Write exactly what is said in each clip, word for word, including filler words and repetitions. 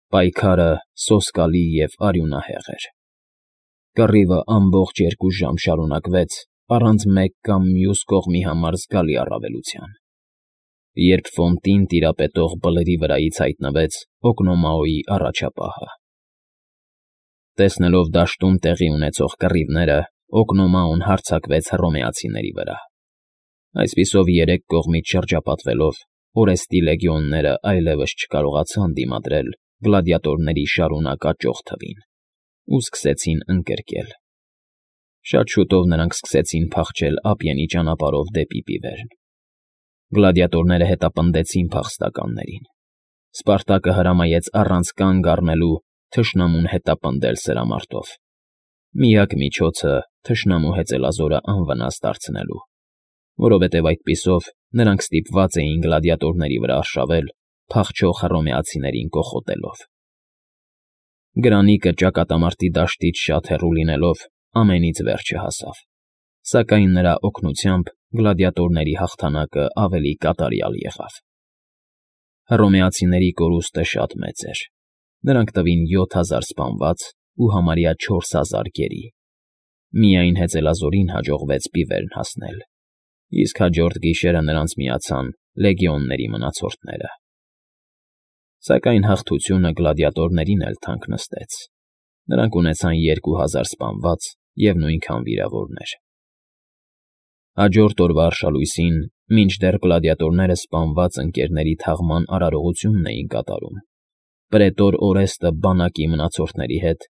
Պայքարը սոսկալի և արյունահեղ էր։ Կռիվը ամբողջ երկու ժամ շարունակվեց առանց մեկ կամ մյուս կողմի համար զգալի առավելության, երբ ֆոնտին տիրապետող բլրի վրայից հայտնվեց Օկնոմաոյի առաջապահը։ Տեսնելով դաշտում տեղի ունեցող կռիվները, Օկնոմաոն հարձակվեց հռոմեացիների վրա։ Այսպիսով, երեք կողմից շրջապատվելով, Օրեստի լեգիոնները այլևս չկարողացան դիմադրել գլադիատորների շարունակ աճող թվին ու սկսեցին ընկրկել։ Շատ շուտով նրանք սկսեցին փախչել ափյենի ճանապարհով դեպի Պիվերն։ Գլադիատորները հետապնդեցին փախստականներին։ Սպարտակը հրամայեց առանց կանգ առնելու թշնամուն հետապնդել սրամարտով։ Միակ միջոցը թշնամու հեծելազորը անվնաս դարձնելու, որովհետև այդպիսով նրանք ստիպված էին գլադիատորների վրա արշավել փախչող հռոմեացիներին կոխոտելով։ Գրանիկը ճակատամարտի դաշտից շատ հեռու լինելով ամենից վերջը հասավ, սակայն նրա օգնությամբ գլադիատորների հաղթանակը ավելի կատարյալ եղավ։ Հռոմեացիների կորուստը շատ մեծ էր։ Նրանք տվին յոթ հազար սպանված ու համարյա չորս հազար գերի։ Միայն հեծելազորին հաջողվեց Պիվերն հասնել, իսկ հաջորդ գիշերը նրանց միացան լեգիոնների մնացորդները։ Սակայն հաղթությունը գլադիատորներին էլ թանկ նստեց։ Նրանք ունեցան երկու հազար սպանված և նույնքան վիրավորներ։ Հաջորդ օրվա արշալույսին, մինչդեռ գլադիատորները սպանված ընկերների թաղման արարողությունն էին կատարում, պրետոր Օրեստը բանակի մնացորդների հետ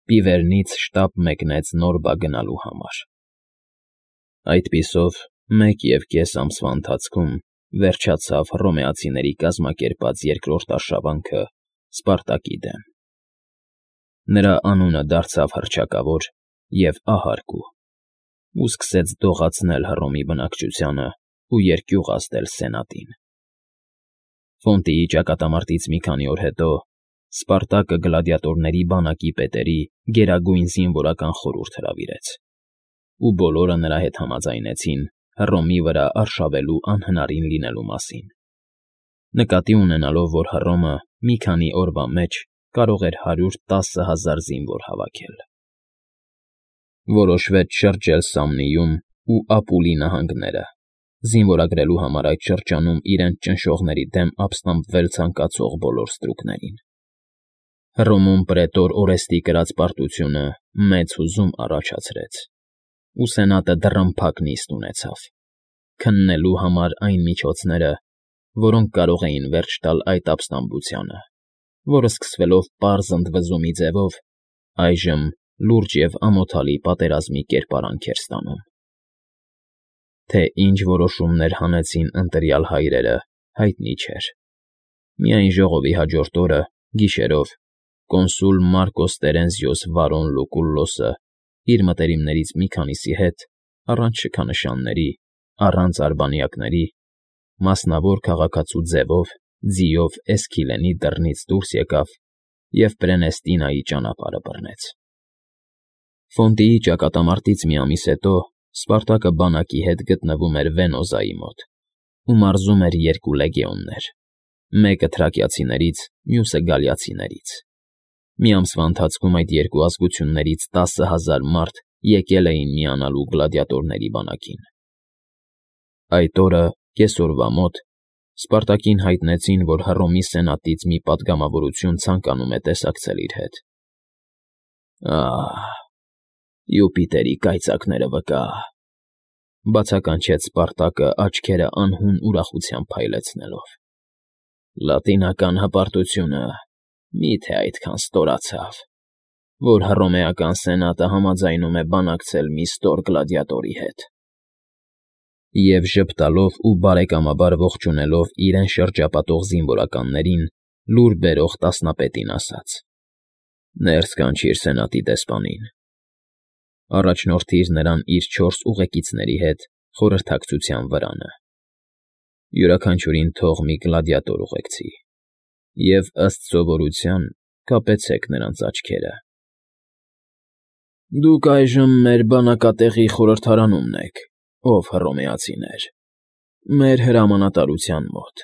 Պիվերնից շտապ մեկնեց Նորբա գնալու համար։ Այդպիսով, մեկ և կես ամսվա ընթացքում վերջացավ հռոմեացիների կազմակերպած երկրորդ արշավանքը Սպարտակի դեմ։ Նրա անունը դարձավ հռչակավոր և ահարկու ու սկսեց դողացնել Հռոմի բնակչությանն ու երկյուղ ազդել սենատին։ Ֆոնտիի ճակատամարտից մի քանի օր հետո Սպարտակը գլադիատորների բանակի պետերի գերագույն զինվորական խորհուրդ հրավիրեց, ու բոլորը նրա հետ համաձայնեցին Հռոմի վրա արշավելու անհնարին լինելու մասին, նկատի ունենալով, որ Հռոմը մի քանի օրվա մեջ կարող էր հարյուր տասը հազար զինվոր հավաքել։ Որոշվեց շրջել Սամնիում ու Ապուլի նահանգները, զինվորագրելու համար այդ շրջանում իրենց ճնշողների դեմ ապստամբվել ցանկացող բոլոր ստրուկներին։ Հռոմում պրետոր Օրեստի կրած պարտությունը մեծ հուզում առաջացրեց, ու սենատը դռնփակ նիստ ունեցավ՝ քննելու համար այն միջոցները, որոնք կարող էին վերջ տալ այդ ապստամբությանը, որը սկսվելով պարզ ընդվզումի ձևով, այժմ լուրջ և ամոթալի պատերազմի կերպարանք էր ստանում։ Թե ինչ որոշումներ հանեցին ընտրյալ հայրերը, հայտնի չէր։ Միայն ժողովի հաջորդ օրը, գիշերով, կոնսուլ Մարկոս Տերենզիոս Վարոն Լուկուլլոսը իր մտերիմներից մի քանիսի հետ, առանց շքանշանների, առանց արբանյակների, մասնավոր քաղաքացու ձևով, ձիով Էսքիլենի դռնից դուրս եկավ և Պրենեստինայի ճանապարհը բռնեց։ Ֆոնտիի ճակատամարտից մի ամիս հետո Սպարտակը բանակի հետ գտնվում էր Վենոզայի մոտ ու մարզում էր երկու լեգիոններ՝ մեկը թրակիացիներից, մյուսը գալիացիներից։ Մի ամսվա ընթացքում այդ երկու ազգություններից տասը հազար մարդ եկել էին միանալու գլադիատորների բանակին։ Այդ օրը, կեսօրվա մոտ, Սպարտակին հայտնեցին, որ Հռոմի սենատից մի պատգամավորություն ցանկանում է տեսակցել իր հետ։ «Ահ, Յուպիտերի կայծակները վկա…֊ բացականչեց Սպարտակը աչքերը անհուն ուրախությամբ փայլեցնելով։֊ Լատինական հպարտությունը մի՞թե այդքան ստորացավ, որ հռոմեական սենատը համաձայնում է բանակցել մի ստոր գլադիատորի հետ»։ Եվ ժպտալով ու բարեկամաբար ողջունելով իրեն շրջապատող զինվորականներին, լուր բերող տասնապետին ասաց. «Ներս կանչիր սենատի դեսպանին. առաջնորդիր նրան իր չորս ուղեկիցների հետ խորհրդակցության վրանը. յուրաքանչյուրին թող մի գլադիատոր ուղեկցի, և, ըստ սովորության, կապեցեք նրանց աչքերը»։ «Դուք այժմ մեր բանակատեղի խորհրդարանումն եք, ով հռոմեացիներ, մեր հրամանատարության մոտ։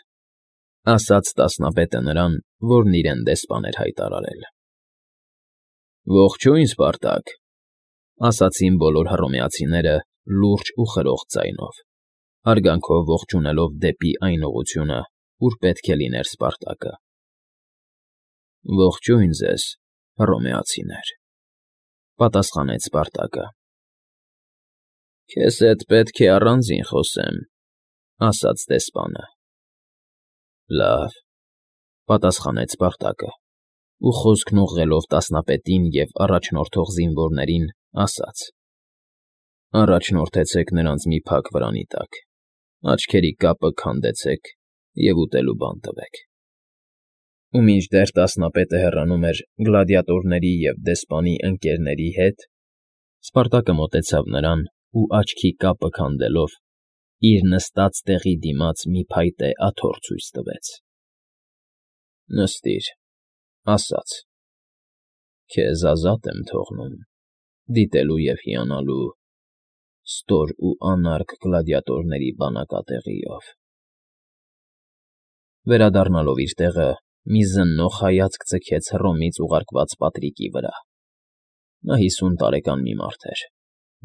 Ասաց տասնապետը նրան, որն իրեն դեսպան էր հայտարարել։ ֊ Ողջույն, Սպարտակ,֊ ասացին բոլոր հռոմեացիները լուրջ ու խրոխ ձայնով, հարգանքով ողջունելով դեպի այն ուղղությունը, ուր պետք է լիներ Սպարտակը։ ֊ Ողջույն ձեզ, հռոմեացիներ,֊ պատասխանեց Սպարտակը։ ֊ Քեզ հետ պետք է առանձին խոսեմ,֊ ասաց դեսպանը։ ֊ Լավ,֊ պատասխանեց Սպարտակը ու խոսքն ուղղելով տասնապետին և առաջնորդող զինվորներին, ասաց. «Առաջնորդեցեք նրանց մի փակ վրանի տակ, աչքերի կապը քանդեցեք և ուտելու բան տվեք»։ Ու մինչդեռ տասնապետը հեռանում էր գլադիատորների և դեսպանի ընկերների հետ, Սպարտակը մոտեցավ նրան ու աչքի կապը քանդելով, իր նստած տեղի դիմաց մի փայտե աթոռ ցույց տվեց։ ֊ Նստիր,֊ ասաց,֊ քեզ ազատ եմ թողնում, դիտելու և հիանալու ստոր ու անարգ գլադիատորների բանակատեղիով… Վերադառնալով իր տեղը, մի զննող հայացք ձգեց Հռոմից ուղարկված պատրիկի վրա։ Նա հիսուն տարեկան մի մարդ էր,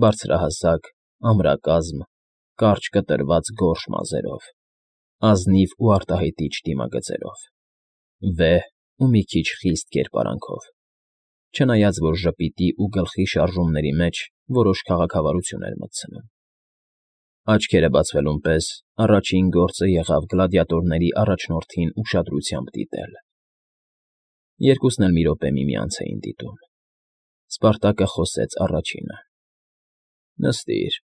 բարձրահասակ, ամրակազմ, կարճ կտրված գորշ մազերով, ազնիվ ու արտահայտիչ դիմագծերով, վեհ ու մի քիչ խիստ կերպարանքով, չնայած որ ժպիտի ու գլխի շարժումների մեջ որոշ քաղաքավարություն էր մտցնում։ Աչքերը բացվելուն պես առաջին գործը եղավ գլադիատորների առաջնորդին ուշադրությամբ դիտել։ Երկուսն էլ մի րոպե միմյանց էին դիտում։ Սպարտակը խոսեց առաջինը. ֊ Նստիր…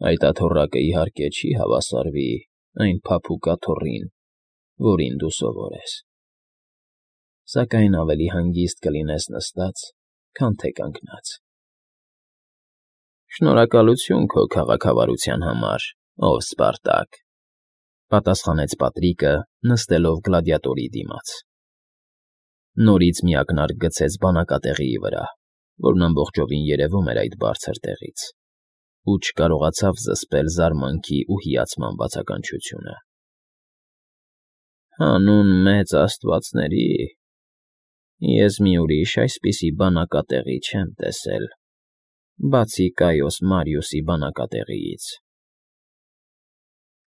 Այդ աթոռակը, իհարկե, չի հավասարվի այն փափուկ աթոռին, որին դու սովոր ես, սակայն ավելի հանգիստ կլինես նստած, քան թե կանգնած։ ֊ Շնորհակալություն քո քաղաքավարության համար, ով Սպարտակ,֊ պատասխանեց Պատրիկը, նստելով գլադիատորի դիմաց։ Նորից մի ակնարկ գցեց բանակատեղիի վրա, որն ամբողջովին երևում էր այդ բարձր տեղից, ու չկարողացավ զսպել զարմանքի ու հիացման բացականչությունը։ ֊ Հանուն մեծ աստվածների, ես մի ուրիշ այսպիսի բանակատեղի չեմ տեսել, բացի Կայոս Մարիուսի բանակատեղիից։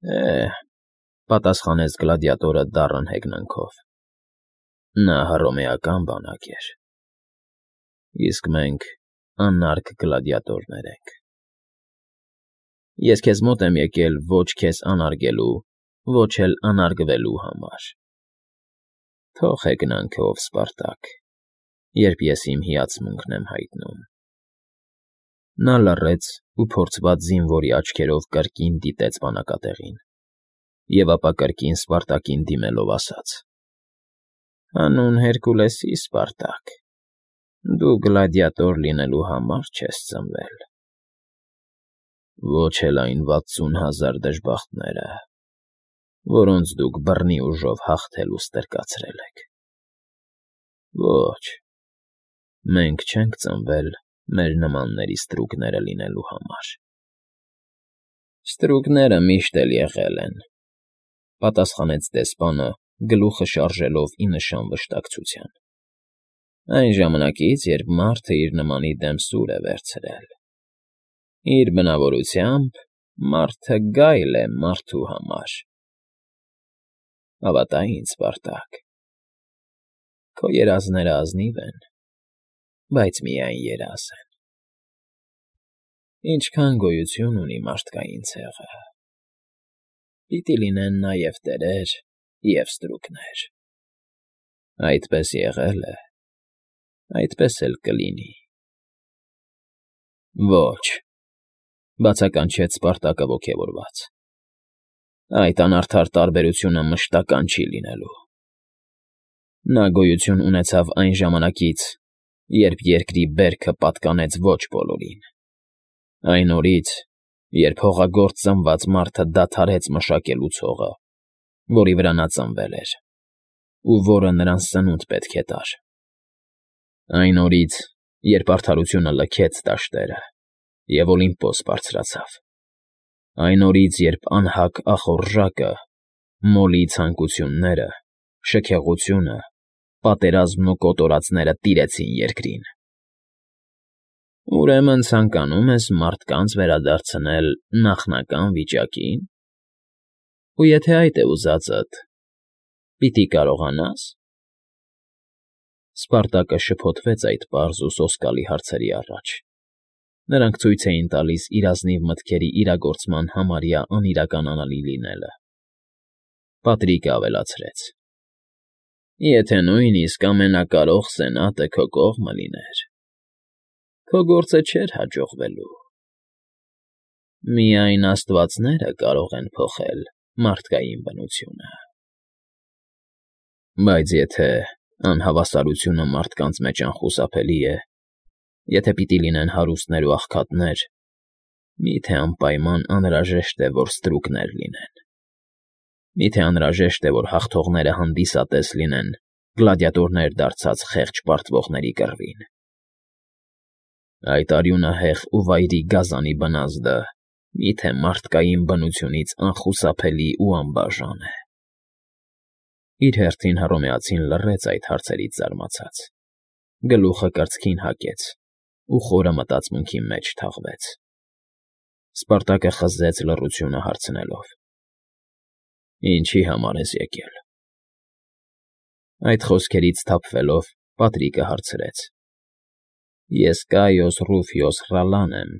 ֊ Է՛հ,֊ պատասխանեց գլադիատորը դառն հեգնանքով,֊ նա հռոմեական բանակ էր, իսկ մենք անարգ գլադիատորներ ենք։ Ես քեզ մոտ եմ եկել ոչ քեզ անարգելու, ոչ էլ անարգվելու համար։ Թող հեգնանքը, ով Սպարտակ, երբ ես իմ հիացմունքն եմ հայտնում։ Նա լռեց ու փորձված զինվորի աչքերով կրկին դիտեց բանակատեղին և ապա կրկին Սպարտակին դիմելով ասաց. ֊ Հանուն Հերկուլեսի, Սպարտակ, դու գլադիատոր լինելու համար չես ծնվել, ոչ էլ այն վաթսուն հազար դժբախտները, որոնց դուք բռնի ուժով հաղթելու ստրկացրել եք։ Ոչ, մենք չենք ծնվել մեր նմանների ստրուկները լինելու համար։ ֊ Ստրուկները միշտ էլ եղել են,֊ պատասխանեց դեսպանը, գլուխը շարժելով ի նշան վշտակցության,֊ այն ժամանակից, երբ մարդը իր նմանի դեմ սուր է վերցրել։ Իր բնավորությամբ մարդը գայլ է մարդու համար։ Հավատա ինձ, Սպարտակ, քո երազները ազնիվ են, բայց միայն երազ են։ Ինչքան գոյություն ունի մարդկային ցեղը, պիտի լինեն նաև տերեր և ստրուկներ։ Այդպես եղել է, այդպես էլ կլինի։ ֊ Ոչ,֊ բացականչեց Սպարտակը ոգևորված,֊ այդ անարդար տարբերությունը մշտական չի լինելու։ Նա գոյություն ունեցավ այն ժամանակից, երբ երկրի բերքը պատկանեց ոչ բոլորին, այն օրից, երբ հողագործ ծնված մարդը դադարեց մշակել ցողը, որի վրա նա ծնվել էր, ու որը նրան սնունդ պետք է տար, այն օրից, երբ արդարությունը լքեց դաշտերը և Օլիմպոս բարձրացավ, այն օրից, երբ անհագ ախորժակը, մոլի ցանկությունները, շքեղությունը, պատերազմն ու կոտորածները տիրեցին երկրին։ Ուրեմն ցանկանում ես մարդկանց վերադարձնել նախնական վիճակի՞ն, ու եթե այդ է ուզածդ, պիտի կարողանա՞ս։ Սպարտակը շփոթվեց այդ պարզ ու սոսկալի հարցերի առաջ. նրանք ցույց էին տալիս իր ազնիվ մտքերի իրագործման համարյա անիրականանալի լինելը։ Պատրիկը ավելացրեց. Եթե նույնիսկ ամենակարող սենատը քո կողմը լիներ, քո գործը չէր հաջողվելու։ Միայն աստվածները կարող են փոխել մարդկային բնությունը։ Բայց եթե անհավասարությունը մարդկանց մեջ անխուսափելի է, եթե պիտի լինեն հարուստներ ու աղքատներ, մի՞թե անպայման անհրաժեշտ է, որ ստրուկներ լինեն։ Մի՞թե անհրաժեշտ է, որ հաղթողները հանդիսատես լինեն գլադիատորներ դարձած խեղճ պարտվողների կռվին։ Այդ արյունահեղ ու վայրի գազանի բնազդը մի՞թե մարդկային բնությունից անխուսափելի ու անբաժան է։ Իր հերթին Հռոմեացին լռեց այդ հարցերից զարմացած, գլուխը կրծքին հագեց ու խորը մտածմունքի մեջ թաղվեց։ Սպարտակը խզեց լռությունը հարցնելով. Ինչի համար ես եկել։ Այդ խոսքերից սթափվելով Պատրիկը հարցրեց. Ես Կայոս Ռուֆիոս Ռալլան եմ,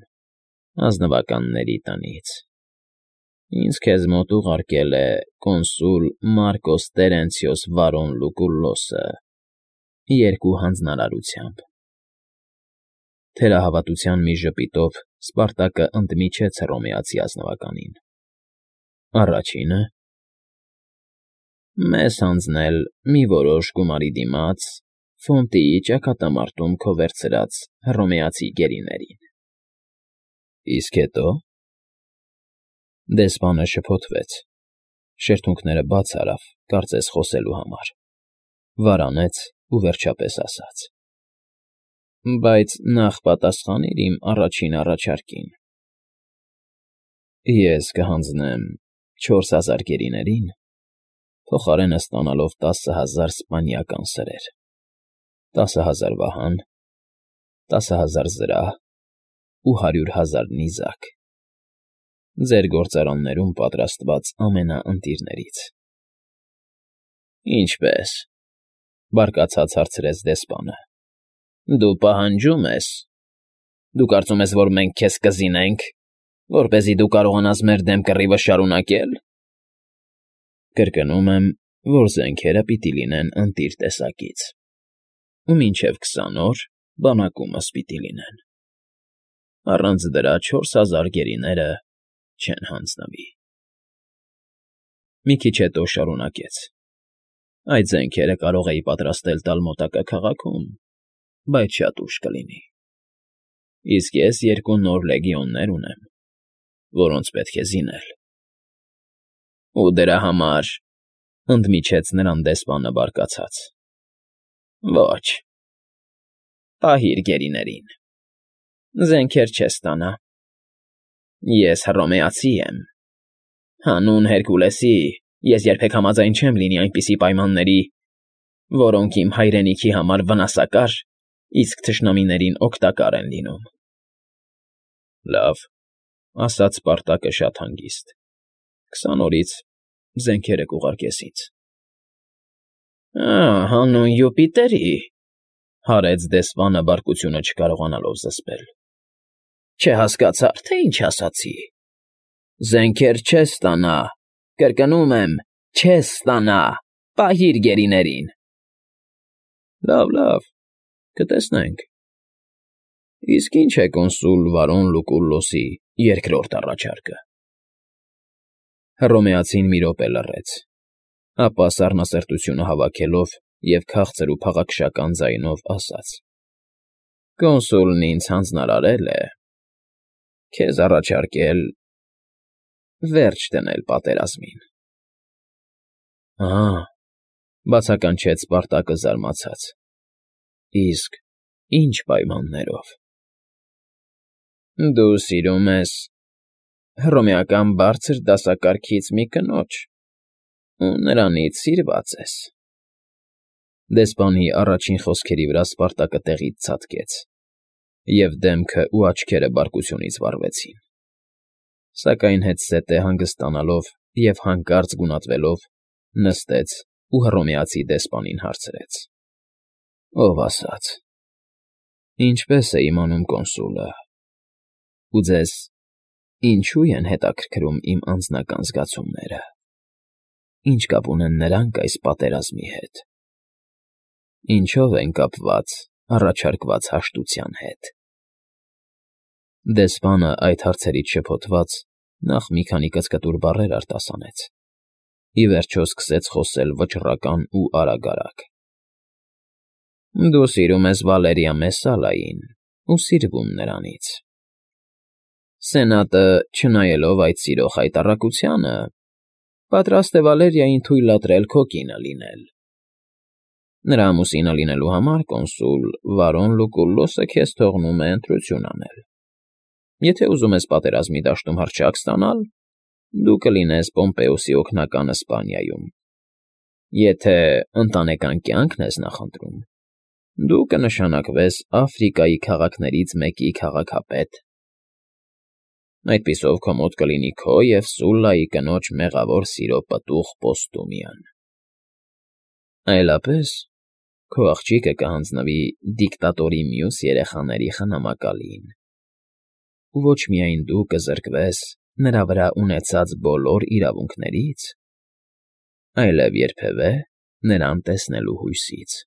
ազնվականների տնից։ Ինձ քեզ մոտ ուղարկել է կոնսուլ Մարկոս Տերենցիոս Վարոն Լուկուլլոսը երկու հանձնարարությամբ։ Թերահավատության մի ժպիտով Սպարտակը ընդմիջեց հռոմեացի ազնվականին։ Առաջինը՝ մեզ հանձնել մի որոշ գումարի դիմաց Ֆոնտիի ճակատամարտում քո վերցրած հռոմեացի գերիներին։ Իսկ հետո… Դեսպանը շփոթվեց, շրթունքները բաց արավ, կարծես խոսելու համար, վարանեց ու վերջապես ասաց. Բայց նախ պատասխանիր իմ առաջին առաջարկին։ Ես կհանձնեմ չորս հազար գերիներին, փոխարենը ստանալով տասը հազար սպանիական սրեր, տասը հազար վահան, տասը հազար զրահ ու հարյուր հազար նիզակ, ձեր գործարաններում պատրաստված ամենաընտիրներից։ Ինչպե՞ս, բարկացած հարցրեց դեսպանը, դու պահանջում ես, դու կարծում ես, որ մենք քեզ կզինենք, որպեսզի դու կարողանաս մեր դեմ կռիվը շարունակել։ Կրկնում եմ, որ զենքերը պիտի լինեն ընտիր տեսակից, ու մինչև քսան օր բանակումս պիտի լինեն։ Առանց դրա չորս հազար գերիները չեն հանձնվի։ Մի քիչ հետո շարունակեց. Այդ զենքերը կարող էի պատրաստել տալ մոտակա քաղաքում, բայց շատ ուշ կլինի։ Իսկ ես երկու նոր լեգիոններ ունեմ, որոնց պետք է զինել։ Ու դրա համար… ընդմիջեց նրան դեսպանը բարկացած. Ոչ, պահիր գերիներին, զենքեր չես ստանա։ Ես հռոմեացի եմ, հանուն Հերկուլեսի ես երբեք համաձայն չեմ լինի այնպիսի պայմանների, որոնք իմ հայրենիքի համար վնասակար, իսկ թշնամիներին օգտակար են լինում։ Լավ, ասաց Սպարտակը շատ հանգիստ, քսան օրից զենքերը կուղարկես ինձ։ Ա՜, հանուն Յուպիտերի, հարեց դեսպանը բարկությունը չկարողանալով զսպել։ Չհասկացա՞ր, թե ինչ ասացի։ Զենքեր չես ստանա, կրկնում եմ, չես ստանա, պահիր գերիներին։ Լավ, լավ, կտեսնենք։ Իսկ ինչ է կոնսուլ Վարոն Լուկուլլոսի երկրորդ առաջարկը։ Հռոմեացին մի րոպե լռեց, ապա սառնասրտությունը հավաքելով և քաղցր ու փաղաքշական ձայնով ասաց. Կոնսուլն ինձ հանձնարարել է քեզ առաջարկել վերջ դնել պատերազմին։ Ահա, բացականչեց Սպարտակը զարմացած։ Իսկ ի՞նչ պայմաններով։ Դու սիրում ես հռոմեական բարձր դասակարգից մի կնոջ, Ու նրանից սիրված ես։ Դեսպանի առաջին խոսքերի վրա Սպարտակը տեղից ցատկեց, և դեմքը ու աչքերը բարկությունից վառվեցին, սակայն հետզհետե հանգստանալով և հանկարծ գունատվելով՝ նստեց ու հռոմեացի դեսպանին հարցրեց. ֊ Ով ասաց. ինչպե՞ս է իմանում կոնսուլը, ու ձեզ ինչո՞ւ են հետաքրքրում իմ անձնական զգացումները, ինչ կապ ունեն նրանք այս պատերազմի հետ, ինչո՞վ են կապված առաջարկված հաշտության հետ։ Դեսպանը այդ հարցերից շփոթված նախ մի քանի կծկտուր բառեր արտասանեց, ի վերջո սկսեց խոսել վճռական ու արագ֊արագ. ֊ Դու սիրում ես Վալերիա Մեսսալային ու սիրվում նրանից. Սենատը, չնայելով այդ սիրո խայտառակությանը, պատրաստ է Վալերիային թույլատրել քո կինը լինել։ Նրա ամուսինը լինելու համար, կոնսուլ, Վարոն Լուկուլլոսը քեզ թողնում է ընտրություն անել. եթե ուզում ես պատերազմի դաշտում հռչակ ստանալ, դու կլինես Պոմպեոսի օգնականը Սպանիայում, եթե ընտանեկան կյանքն ես նախընտրում, դու կնշանակվես Աֆրիկայի քաղաքներից մեկի քաղաքապետ. այդպիսով քո մոտ կլինի քո և Սուլլայի կնոջ մեղավոր սիրո պտուղ Պոստումիան, այլապես քո աղջիկը կհանձնվի դիկտատորի մյուս երեխաների խնամակալին, ու ոչ միայն դու կզրկվես նրա վրա ունեցած բոլոր իրավունքներից, այլև երբևէ նրան տեսնելու հույսից։